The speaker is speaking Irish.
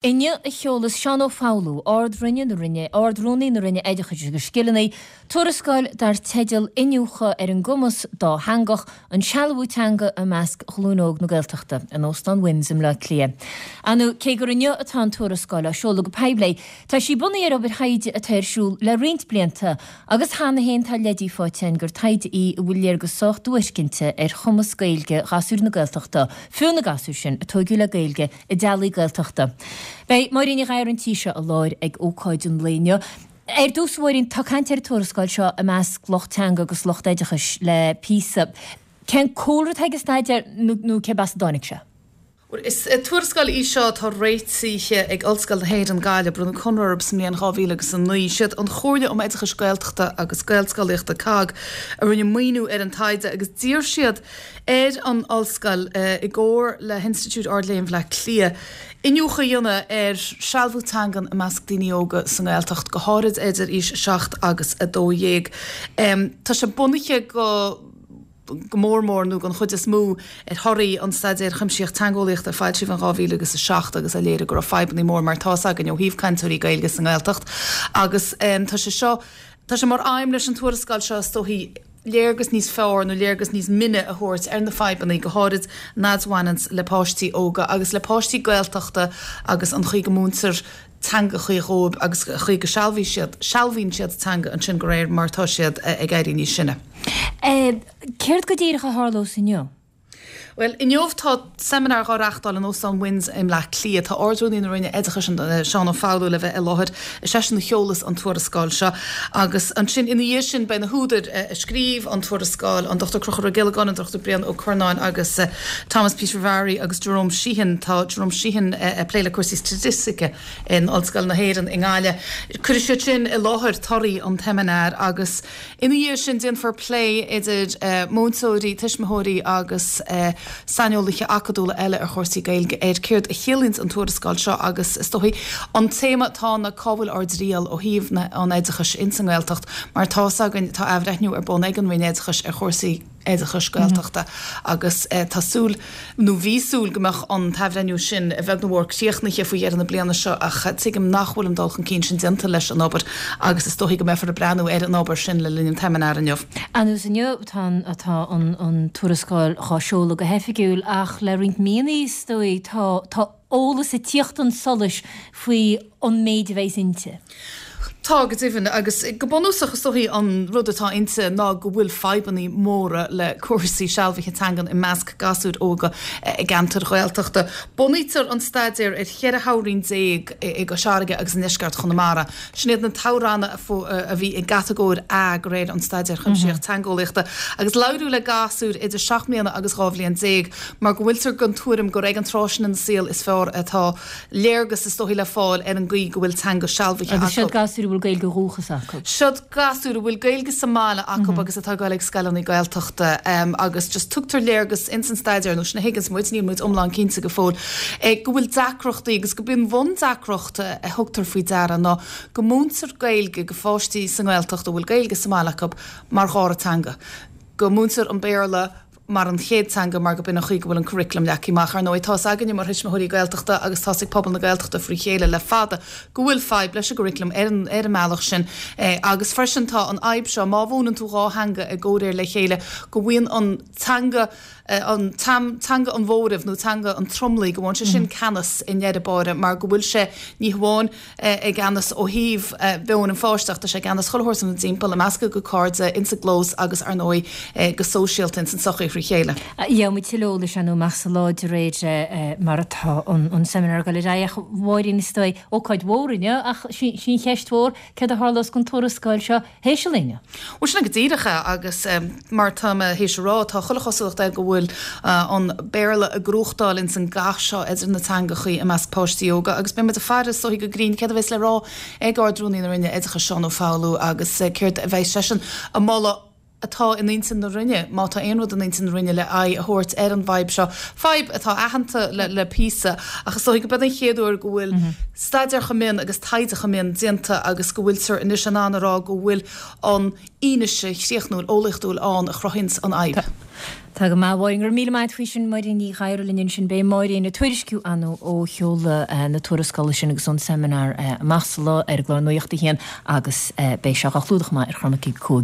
Inniu a sheolas Seán Ó Foghlú, Ard-Roinne na Roinne, Ard-Rúnaí na Roinne Oideachais agus Scileanna, tuarascáil dar teideal Iniúchadh ar an gCumas Dátheangach, An Sealbhú Teanga i Measc Ghlúin Óg na Gaeltachta, in Óstán Wynns i mBleá Cliath. Ar ndóigh, cé gur inniu atá an tuarascáil á seoladh go poiblí, tá sí bunaithe ar obair thaighde atá ar siúl le roinnt blianta agus cheana féin tá leidí faighte againn gur taighde í a bhfuil léargas sách duairc inti ar chumas Gaeilge ghasúir na Gaeltachta, fiú na gasúir sin a tóigeadh le Gaeilge i dteaghlaigh Gaeltachta. Beidh Máirín Ní Ghadhra ar an tí seo i láthair ag ócáid an lae inniu. Ar dtús, a Mháirín, tá caint ar an tuarascáil seo i measc lucht teanga agus lucht oideachais le píosa. Cén cúlra atá ag an staidéar nó cérb as a dtáinig sé? Bhuel, is tuarascáil í seo atá réitithe ag Ollscoil na hÉireann, Gaillimh. Bronnadh conradh orthu sa mbliain 2009. Siad an Chomhairle um Oideachais Gaeltachta agus Gaelscolaíochta, COGG, a rinne maoiniú ar an taighde agus d'iarr siad ar an Ollscoil, i gcomhar le hInstitiúid Ard-Léinn Bhaile Átha Cliath, iniúchadh a dhéanamh ar sealbhú teangan i measc daoine óga sa nGaeltacht, go háirid idir aois 7 agus 12. Tá sé bunaithe go go mór mór, nó den chuid is mó, ar thorthaí an Staidéir Chuimsitheach Teangeolaíochta a foilsíodh in 2007 agus a léirigh go raibh fadhbanna mór, mar atá 'fhios againn, ó thaobh cainteoirí Gaeilge sa nGaeltacht. Agus tá sé seo, tá sé mar aidhm leis an tuarascáil seo, is dóichí, léargas níos fearr nó léargas níos mine a thabhairt ar na fadhbanna, go háirid an fhad a bhaineanns le páistí óga agus le páistí Gaeltachta agus an chaoi go múintear teangachaí dhóibh agus an chaoi go sealbhaíonn siad, sealbhaíonn siad teanga ansin de réir mar atá siad ag éirí níos sine. Céard go díreach a tharlós inniu? Bhuel, inniu tá seimineár dhá reachtáil in Óstán Wynns i mBleá Cliath. Tá Ard-Rúnaí na Roinne Oideachais, Seán Ó Foghlú, le bheith i láthair. Is eisean a sheolas an tuarascáil seo. Agus ansin, ina dhiaidh sin, beidh na húdair a scríobh an tuarascáil, an Dr Conchúr Ó Giollagáin, an Dr Brian Ó Curnáin agus Thomas Peter Varey agus Jerome Sheehan. Tá Jerome Sheehan ag plé le cúrsaí staitistice in Ollscoil na hÉireann i nGaillimh. Cuirfidh siad sin i láthair torthaí an tseimineáir agus. Ina dhiaidh sin, déanfar plé idir múinteoirí, tuismitheoirí agus saineolaithe acadúla eile ar chúrsaí Gaeilge ar céard a chiallaíonns an tuarascáil seo agus, is dóichí, an téama atá ann ná cá bhfuil ár dtriall ó thaobh an oideachais ins an nGaeltacht mar tá 'fhios againn tá athbhreithniú ar bun ag an Roinn Oideachais ar chúrsaí oideachais Gaeltachta agus tá súil, nó bhí súil, go mbeadh an t-athbhreithniú sin, a bheag nó a mhór, críochnaithe faoi dheireadh na bliana seo ach tuigim nach bhfuil an dul chun cinn sin déanta leis an obair agus is dóichí go mbeifear ag breathnú ar an obair sin le linn an tseimineáir inniu. Anuas inniu tá atá an tuarascáil dhá seoladh go hoifigiúil ach le roinnt míonna is dóigh tá tá eolas ag tíocht chun solais faoi an méid a bheas inti. Tá, go deimhin, agus go bunúsach is dóichí an rud atá inti ná go bhfuil fadhbanna móra le cúrsaí sealbhaithe teangan i measc gasúir óga i gceantair Ghaeltachta. Bunaítear an staidéar ar 14 thoghroinn i gCois Fharraige agus i ndeisceart Chonamara. Sin iad na toghranna a bhí i gcatagóir A de réir an Staidéir Chuimsitheach Teangeolaíochta agus labhraíodh le gasúir idir 7 mbliana agus 12 bhliain mar go bhfuiltear den tuairim gur ag an tráth sin ina saol is fearr atá léargas is dóichí le fáil ar an gcaoi go bhfuil teanga sealbhaithe acu. Agus siod gasúir a bhfuil Gaeilge ó dhúchas acu. Siod gasúir a bhfuil Gaeilge sa mbaile acu agus atá ag dul ag scoileanna Gaeltachta agus just tugtar léargas ins an staidéar, nó sin a thuigeanns muid, níl muid iomlán cinnte go fóill, go bhfuil deacrachtaí agus go b'in bhundeacracht a thugtar faoi deara ná go múintear Gaeilge go pháistí sa nGaeltacht a bhfuil Gaeilge sa mbaile acu mar dhara teanga, go múintear an Béarla mar an chéad teanga mar go b'in an chaoi go bhfuil an curriculum leagtha amach. Ar ndóigh, tá's againne mar thuismitheoirí Gaeltachta agus tá's ag pobal na Gaeltachta frí chéile le fada go bhfuil fadhb leis an gcurriculum ar an ar an mbealach sin agus freisin tá an fhadhb seo má mhúineann tú dhá theanga i gcomhréir le chéile go bhfaigheann an teanga an teanga an mhóraimh nó teanga an tromlaigh go bhfaigheann sé sin ceannas i ndeireadh báire mar go bhfuil sé ní hamháin i gceannas ó thaobh mheon an pháiste ach tá sé i gceannas chuile shórt ina dtimpeall, i measc a gcuid cairde, ins an gclós agus, ar ndóigh, go sóisialta ins an tsochaí thrí chéile. Gheobhaidh muid tuilleadh eolais ar ndóigh amach sa lá de réir mar atá an seimineár ag dul ar aghaidh. Ach a Mháirín, is dóigh, ócáid mhór inniu ach sí an cheist mhór, céard a tharlós don tuarascáil seo théis an lae inniu. Bhuel, sin é go díreach é, agus mar atá mé théis a rá, tá chuile chosúlacht air go bhfuil an Béarla ag gnóthachtáil ins an gcath seo idir na teangachaí i measc páistí óga, agus beidh muid ag faire is dóichí go grinn céard a bheas le rá ag Ard-Rúnaí na Roinne Oideachais, Seán Ó Foghlú, agus céard a bheas seisean a mholadh atá in intinn na Roinne, má tá aon rud in intinn na Roinne le aghaidh a thabhairt ar an bhfadhb seo, fadhb atá aitheanta le píosa, ach is dóichí go b'in an chéad uair go bhfuil staidéar chomh mion agus taighde chomh mion déanta agus go bhfuiltear anois in ann a rá go bhfuil an fhianaise chríochnúil eolaíochtúil ann a chruthaíonns an fhadhb. Tá go maith, a Mháirín. Go raibh míle maith agat faoi sin. Máirín Ní Ghadhra linn ansin. Beidh Máirín ag tuairisciú ar ndóigh ó sheoladh na tuarascála sin agus ón seimineár amach sa lá ar an gclár Nuacht a hAon agus beidh sé á chlúdach amach ar Chormac ag 5.